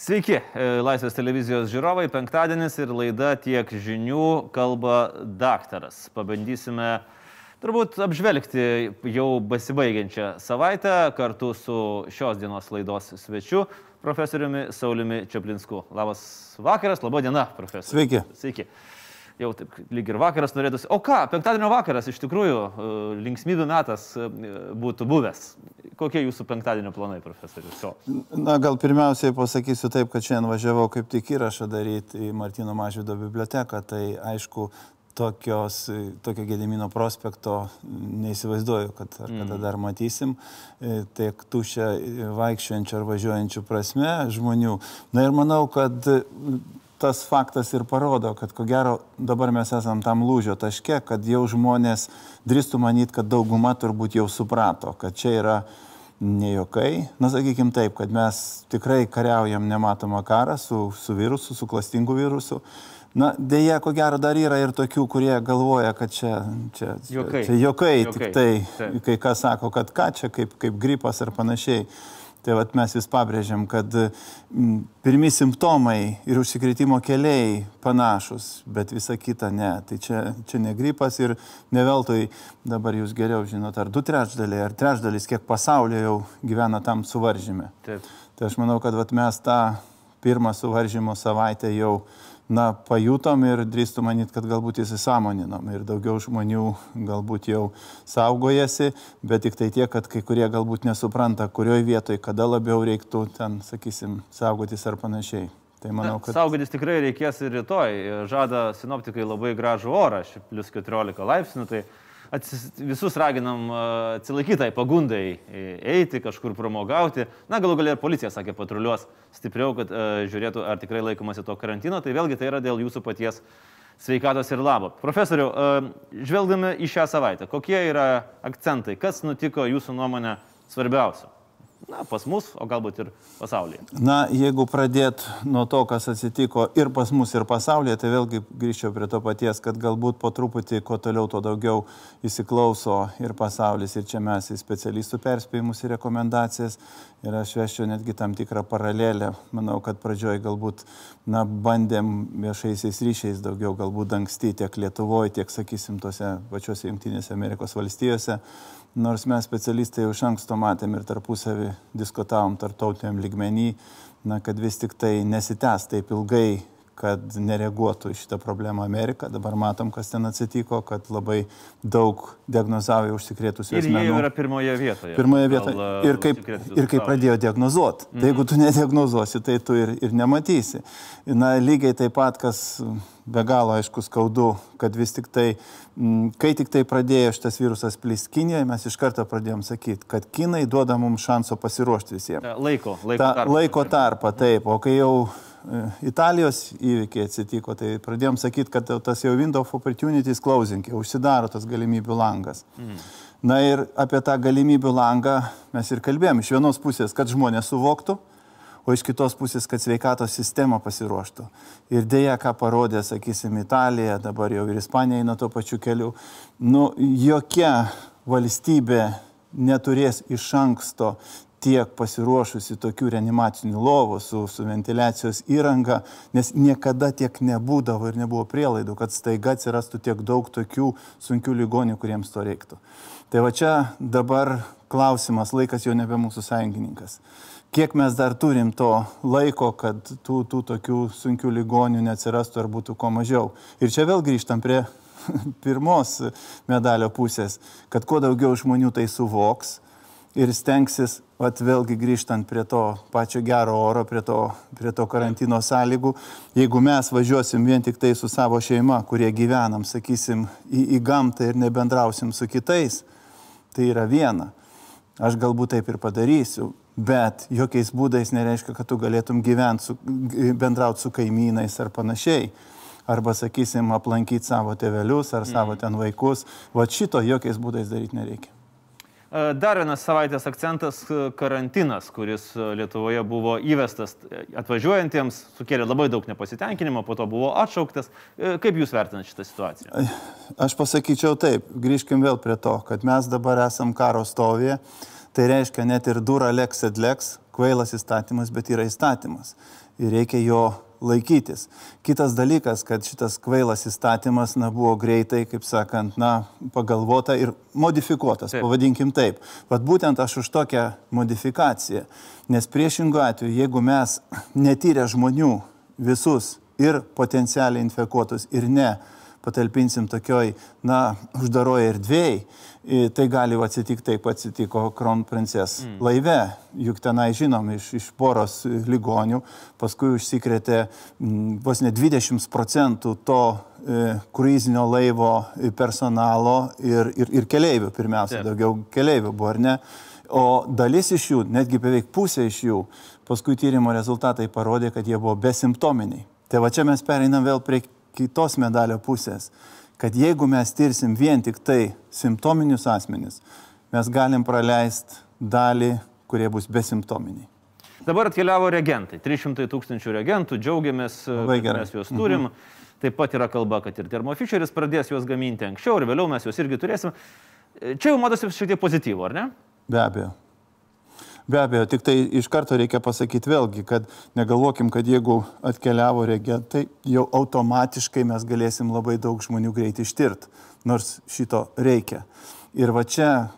Sveiki, Laisvės televizijos žiūrovai, penktadienis ir laida Tiek žinių kalba daktaras. Pabandysime turbūt apžvelgti jau besibaigiančią savaitę kartu su šios dienos laidos svečiu, profesoriumi Sauliumi Čaplinsku. Labas vakaras, laba diena, profesorius. Sveiki. Sveiki. Jau taip lyg ir vakaras norėtųsi. O ką, penktadienio vakaras iš tikrųjų linksmybių metas būtų buvęs. Kokie jūsų penktadienio planai, profesorius? Na, gal pirmiausiai pasakysiu taip, kad šiandien važiavau kaip tik įrašą daryti į Martyno Mažvydo biblioteką. Tai aišku, tokio Gedimino prospekto neįsivaizduoju, kad ar kada dar matysim. Tiek tuščia vaikščiojančių ar važiuojančių prasme žmonių. Na ir manau, kad tas faktas ir parodo, kad ko gero dabar mes esam tam lūžio taške, kad jau žmonės drįstų manyti, kad dauguma turbūt jau suprato, kad čia yra ne juokai. Na, sakykim taip, kad mes tikrai kariaujam nematomą karą su virusu, su klastingu virusu. Na, dėja, ko gero dar yra ir tokių, kurie galvoja, kad čia juokai, tik tai, kai kas sako, kad ką čia, kaip gripas ar panašiai. Tai vat mes vis pabrėžiam, kad pirmi simptomai ir užsikrėtimo keliai panašus, bet visa kita ne. Tai čia ne gripas ir ne veltui dabar jūs geriau žinot, ar 2/3 ar 1/3, kiek pasaulyje jau gyvena tam suvaržyme. Taip. Tai aš manau, kad vat mes tą pirmą suvaržymo savaitę jau pajutom ir drįstu manyti, kad galbūt įsisąmoninom ir daugiau žmonių galbūt jau saugojasi, bet tik tai tiek, kad kai kurie galbūt nesupranta, kurioje vietoje, kada labiau reiktų ten, sakysim, saugotis ar panašiai. Tai manau, kad saugotis tikrai reikės ir rytoj. Žada sinoptikai labai gražų orą, plus 14 laipsnių, tai visus raginam atsilaikyti tai pagundai eiti, kažkur pramogauti. Na, galų galia ir policija, sakė, patruliuos stipriau, kad žiūrėtų, ar tikrai laikomasi to karantino. Tai vėlgi tai yra dėl jūsų paties sveikatos ir labo. Profesoriau, žvelgdami į šią savaitę, kokie yra akcentai, kas nutiko jūsų nuomonė svarbiausia? Na, pas mus, o galbūt ir pasaulyje. Na, jeigu pradėt nuo to, kas atsitiko ir pas mus, ir pasaulyje, tai vėlgi grįžčiau prie to paties, kad galbūt po truputį, kuo toliau, to daugiau įsiklauso ir pasaulis, ir čia mes į specialistų perspėjimus ir rekomendacijas. Ir aš veščiau netgi tam tikrą paralelę. Manau, kad pradžioj galbūt, bandėm viešaisiais ryšiais daugiau galbūt dangstyti tiek Lietuvoje, tiek, sakysim, tose pačiose Jungtinėse Amerikos valstijose. Nors mes specialistai jau iš anksto matėm ir tarpusavį diskutavom tarptautiniam lygmenį, kad vis tik tai nesitęs taip ilgai, kad nereaguotų į šitą problemą Amerika. Dabar matom, kas ten atsitiko, kad labai daug diagnozavo užsikrėtusių asmenų. Ir jie yra pirmoje vietoje. Pirmoje vietoje. Ir kaip pradėjo diagnozuoti. Tai jeigu tu nediagnozuosi, tai tu ir nematysi. Na, lygiai taip pat, kas be galo aišku skaudu, kad vis tik tai, kai tik tai pradėjo šitas virusas plist Kinijoje, mes iš karto pradėjom sakyti, kad Kinai duoda mums šanso pasiruošti visiems. Laiko tarpą, taip. O kai jau Italijos įvykiai atsitiko, tai pradėjom sakyti, kad tas jau window of opportunities closing, jau užsidaro tas galimybių langas. Na ir apie tą galimybių langą mes ir kalbėjom. Iš vienos pusės, kad žmonės suvoktų, o iš kitos pusės, kad sveikatos sistema pasiruoštų. Ir dėja, ką parodė, sakysim, Italija, dabar jau ir Ispanija eina tuo pačiu keliu. Jokia valstybė neturės iš anksto tiek pasiruošusi tokių reanimacinių lovų su ventiliacijos įranga, nes niekada tiek nebūdavo ir nebuvo prielaidų, kad staiga atsirastų tiek daug tokių sunkių ligonių, kuriems to reiktų. Tai va čia dabar klausimas, laikas jau nebe mūsų sąjungininkas. Kiek mes dar turim to laiko, kad tų tokių sunkių ligonių neatsirastų ar būtų ko mažiau. Ir čia vėl grįžtam prie pirmos medalio pusės, kad kuo daugiau žmonių tai suvoks ir stengsis, vėlgi grįžtant prie to pačio gero oro, prie to karantino sąlygų, jeigu mes važiuosim vien tik tai su savo šeima, kurie gyvenam, sakysim, į gamtą ir nebendrausim su kitais, tai yra viena. Aš galbūt taip ir padarysiu, bet jokiais būdais nereiškia, kad tu galėtum bendrauti su kaimynais ar panašiai. Arba, sakysim, aplankyti savo tėvelius ar savo ten vaikus. Vat šito jokiais būdais daryti nereikia. Dar vienas savaitės akcentas - karantinas, kuris Lietuvoje buvo įvestas atvažiuojantiems, sukėlė labai daug nepasitenkinimo, po to buvo atšauktas. Kaip jūs vertinate šitą situaciją? Aš pasakyčiau taip, grįžkim vėl prie to, kad mes dabar esam karo stovyje. Tai reiškia net ir dura lex et lex, kvailas įstatymas, bet yra įstatymas. Ir reikia jo laikytis. Kitas dalykas, kad šitas kvailas įstatymas buvo greitai, kaip sakant, pagalvota ir modifikuotas, pavadinkim taip. Vat būtent aš už tokią modifikaciją. Nes priešingų atveju, jeigu mes netyrę žmonių visus ir potencialiai infekuotus ir ne patalpinsim tokioj, uždaroje erdvėjai, tai gali atsitikti taip, atsitiko Kronprinces laive. Juk tenai žinom iš poros ligonių, paskui užsikrėtė vos ne 20% to kruizinio laivo personalo ir keleivių, pirmiausia, daugiau keleivių buvo, ar ne? O dalis iš jų, netgi beveik pusė iš jų, paskui tyrimo rezultatai parodė, kad jie buvo besimptominiai. Tai va čia mes pereinam vėl prie kitos medalio pusės, kad jeigu mes tirsim vien tik tai simptominius asmenis, mes galim praleisti dalį, kurie bus besimptominiai. Dabar atkeliavo reagentai, 300 000 reagentų, džiaugiamės, kad mes juos turim. Taip pat yra kalba, kad ir Thermo Fisheris pradės juos gaminti anksčiau ir vėliau mes juos irgi turėsim. Čia jau matosi šiek tiek pozityvo, ar ne? Be abejo. Be abejo, tik tai iš karto reikia pasakyti vėlgi, kad negalvokim, kad jeigu atkeliavo reagentai, jau automatiškai mes galėsim labai daug žmonių greit ištirti, nors šito reikia. Ir va čia,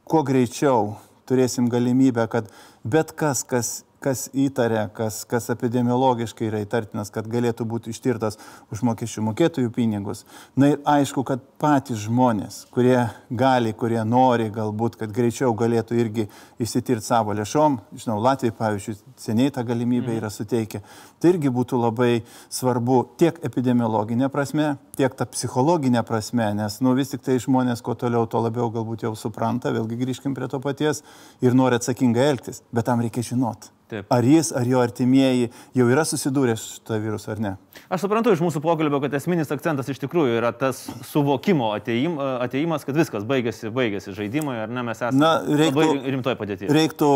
kuo greičiau turėsim galimybę, kad bet kas įtarė, kas epidemiologiškai yra įtartinas, kad galėtų būti ištirtas už mokesčių mokėtojų pinigus. Na ir aišku, kad patys žmonės, kurie gali, kurie nori galbūt, kad greičiau galėtų irgi išsitirti savo lėšom, žinau, Latvijai, pavyzdžiui, seniai tą galimybę yra suteikę, tai irgi būtų labai svarbu tiek epidemiologinė prasme, tiek ta psichologinė prasme, nes vis tik tai žmonės, kuo toliau, to labiau galbūt jau supranta, vėlgi grįžkim prie to paties ir nori atsakingai elgtis, bet tam reikia žinoti. Taip. Ar jis, ar jo artimieji jau yra susidūrę su šito virusu ar ne? Aš suprantu iš mūsų pokalbio, kad esminis akcentas iš tikrųjų yra tas suvokimo atėjimas, kad viskas baigėsi žaidimai, ar ne, mes esame labai rimtoj padėtyje. Reiktų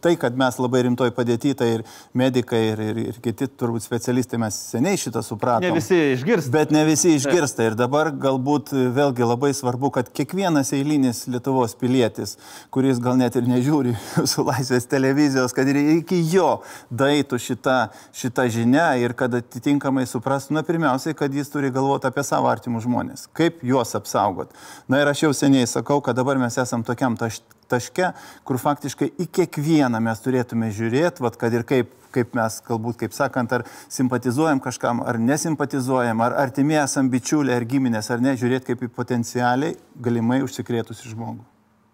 tai, kad mes labai rimtoj padėtyje, tai ir medikai, ir kiti turbūt specialistai, mes seniai šitą supratom. Ne visi išgirsta. Bet ne visi išgirsta. Ir dabar galbūt vėlgi labai svarbu, kad kiekvienas eilinis Lietuvos pilietis, kuris gal net ir nežiūri su Laisvės televizijos, kad ir iki jo daeitų šita žinia ir kad atitinkamai suprastų, pirmiausiai, kad jis turi galvoti apie savo artimus žmonės, kaip juos apsaugot. Ir aš jau seniai sakau, kad dabar mes esam tokiam taške, kur faktiškai į kiekvieną mes turėtume žiūrėti, kad ir kaip mes, galbūt, kaip sakant, ar simpatizuojam kažkam, ar nesimpatizuojam, ar artimi esam bičiuliai, ar giminės, ar ne, žiūrėti kaip į potencialiai galimai užsikrėtusi žmogų.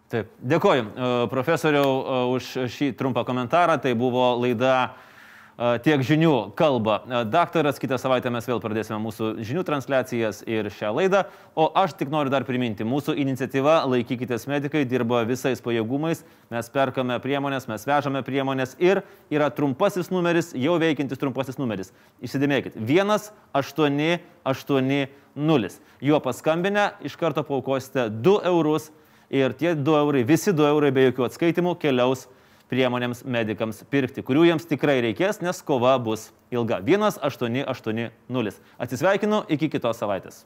Taip, dėkoju profesoriau už šį trumpą komentarą, tai buvo laida Tiek žinių kalba daktaras, kitą savaitę mes vėl pradėsime mūsų žinių transliacijas ir šią laidą, o aš tik noriu dar priminti, mūsų iniciatyva Laikykitės medikai dirba visais pajėgumais, mes perkame priemonės, mes vežame priemonės ir yra trumpasis numeris, jau veikiantis trumpasis numeris. Įsidėmėkit, 1880. Juo paskambinę iš karto paaukosite 2 eurus. Ir tie 2 eurai, visi 2 eurai be jokių atskaitimų keliaus priemonėms medikams pirkti, kurių jiems tikrai reikės, nes kova bus ilga. 1880. Atsisveikinu, iki kitos savaitės.